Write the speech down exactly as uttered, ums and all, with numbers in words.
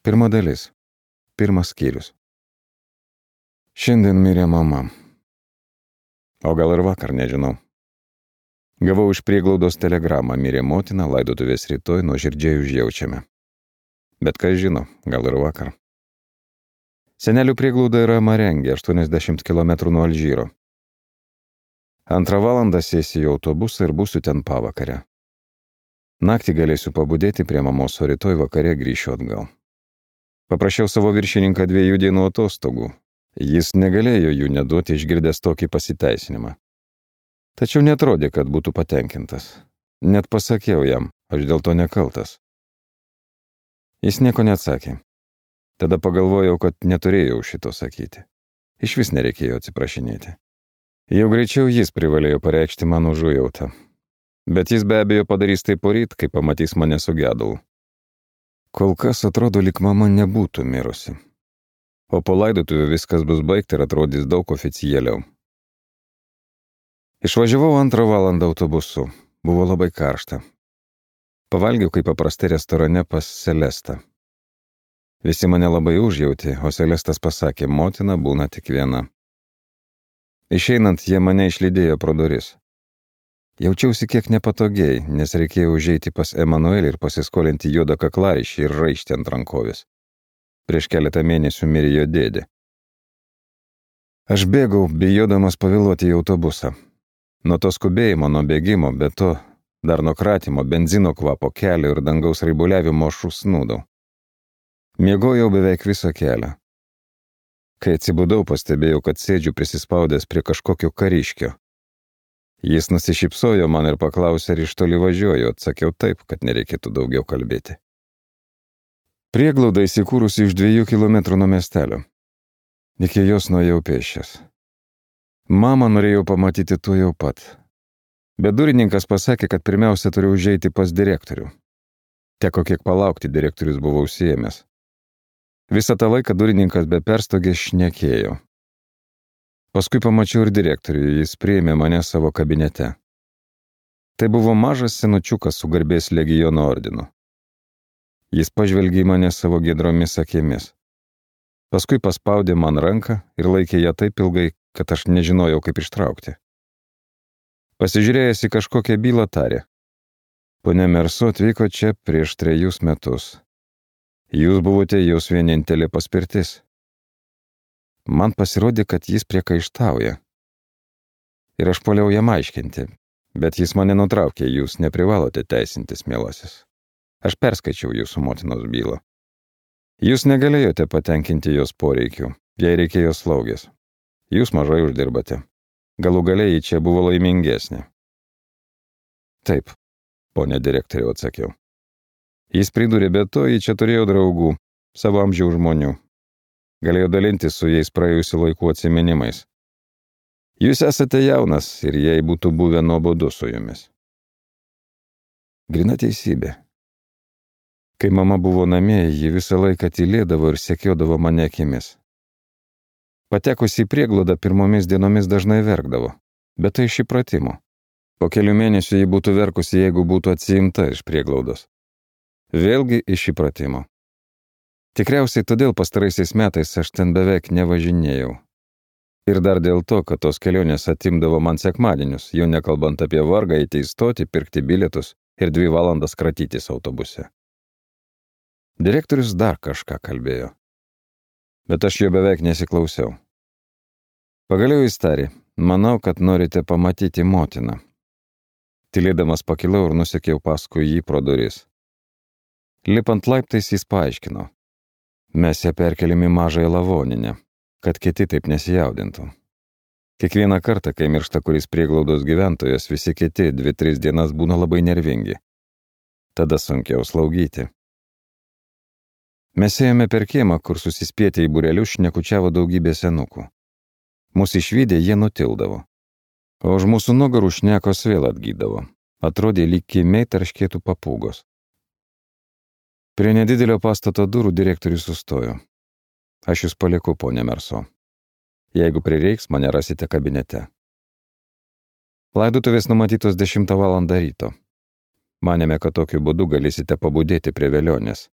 Pirma dalis. Pirmas skyrius. Šiandien mirė mama. O gal ir vakar, nežinau. Gavau iš prieglaudos telegramą, mirė motina, laidotuvės rytoj, nuoširdžiai užjaučiame. Bet kas žino, gal ir vakar. Senelių prieglauda yra Marengė, aštuoniasdešimt kilometrų nuo Alžyro. Antrą valandą sėsiu į autobusą ir būsiu ten pavakarę. Naktį galėsiu pabudėti prie mamos, o rytoj vakare grįšiu atgal. Paprašiau savo viršininką dviejų dienų atostogų. Jis negalėjo jų neduoti išgirdęs tokį pasiteisinimą. Tačiau netrodė, kad būtų patenkintas. Net pasakiau jam, aš dėl to nekaltas. Jis nieko neatsakė. Tada pagalvojau, kad neturėjau šito sakyti. Iš vis nereikėjo atsiprašinėti. Jau greičiau jis privalėjo pareikšti man užuojautą. Bet jis be abejo padarys tai poryt, kai pamatys mane su gedalu. Kol kas atrodo, lyg mama nebūtų mirusi. O po laidotuvių viskas bus baigta ir atrodys daug oficialiau. Išvažiavau antrą valandą autobusu. Buvo labai karšta. Pavalgiau kaip paprastai restorane pas Celestą. Visi mane labai užjautė, o Celestas pasakė, motina būna tik viena. Išeinant, jie mane išlydėjo pro duris. Jaučiausi kiek nepatogiai, nes reikėjo užeiti pas Emanuelį ir pasiskolinti juodą kaklaraištį ir raištį ant rankovės. Prieš keletą mėnesių mirė jo dėdė. Aš bėgau, bijodamas pavėluoti į autobusą. Nuo to skubėjimo, nuo bėgimo, be to, dar nuo kratymo, benzino kvapo, kelio ir dangaus raibuliavimo aš užsnūdau. Miegojau beveik visą kelią. Kai atsibudau, pastebėjau, kad sėdžiu prisispaudęs prie kažkokio kariškio. Jis nusišypsojo man ir paklausė, ar iš toli važiuoju, atsakiau taip, kad nereikėtų daugiau kalbėti. Prieglauda įsikūrusi iš dviejų kilometrų nuo miestelio. Iki jos nuėjau pėsčias. Mamą norėjau pamatyti tuo jau pat. Bet durininkas pasakė, kad pirmiausia turiu užeiti pas direktorių. Teko kiek palaukti, direktorius buvo užsiėmęs. Visą tą laiką durininkas be perstogės šnekėjo. Paskui pamačiau ir direktorių, jis priėmė mane savo kabinete. Tai buvo mažas senučiukas su garbės legiono ordinu. Jis pažvelgė į mane savo giedromis akimis. Paskui paspaudė man ranką ir laikė ją taip ilgai, kad aš nežinojau, kaip ištraukti. Pasižiūrėjęs į kažkokią bylą tarė. Ponia Merso atvyko čia prieš trejus metus. Jūs buvote jos vienintelė paspirtis. Man pasirodė, kad jis priekaištauja. Ir aš puoliau jam aiškinti, bet jis mane nutraukė, jūs neprivalote teisintis, mielasis. Aš perskaičiau jūsų motinos bylą. Jūs negalėjote patenkinti jos poreikių, jai reikėjo slaugės. Jūs mažai uždirbate. Galų galiai čia buvo laimingesnė. Taip, ponė direktoriau, atsakiau. Jis pridūrė, be to, jį čia turėjo draugų, savo amžiaus žmonių. Galėjo dalintis su jais praėjusių laikų atsiminimais. Jūs esate jaunas ir jai būtų buvę nuobodu su jumis. Grina teisybė. Kai mama buvo namie, ji visą laiką tylėdavo ir sekiodavo mane akimis. Patekusi į prieglaudą pirmomis dienomis dažnai verkdavo, bet tai iš įpratimo. Po kelių mėnesių ji būtų verkusi, jeigu būtų atsiimta iš prieglaudos. Vėlgi iš įpratimo. Tikriausiai todėl pastaraisiais metais aš ten beveik nevažinėjau. Ir dar dėl to, kad tos kelionės atimdavo man sekmadienius, jau nekalbant apie vargą eiti į stotį, pirkti bilietus ir dvi valandas kratytis autobuse. Direktorius dar kažką kalbėjo. Bet aš jo beveik nesiklausiau. Pagaliau jis tarė, manau, kad norite pamatyti motiną. Tylėdamas pakilau ir nusekiau paskui jį pro duris. Lipant laiptais jis paaiškino. Mes ją perkeliam į mažąją lavoninę, kad kiti taip nesijaudintų. Kiekvieną kartą, kai miršta kuris prieglaudos gyventojas, visi kiti dvi, tris dienas būna labai nervingi. Tada sunkiau slaugyti. Mes ėjome per kiemą, kur susispietę į būrelius šnekučiavo daugybė senukų. Mūsų išvydę jie nutildavo. O už mūsų nugarų šnekos vėl atgydavo. Atrodė, lyg kiemiai tarškėtų papūgos. Prie nedidelio pastato durų direktorius sustojo. Aš jūs palieku, ponė Merso. Jeigu prireiks, mane rasite kabinete. Laidotuvės numatytos dešimtą valandą ryto. Manėme, kad tokiu būdu galėsite pabudėti prie velionės.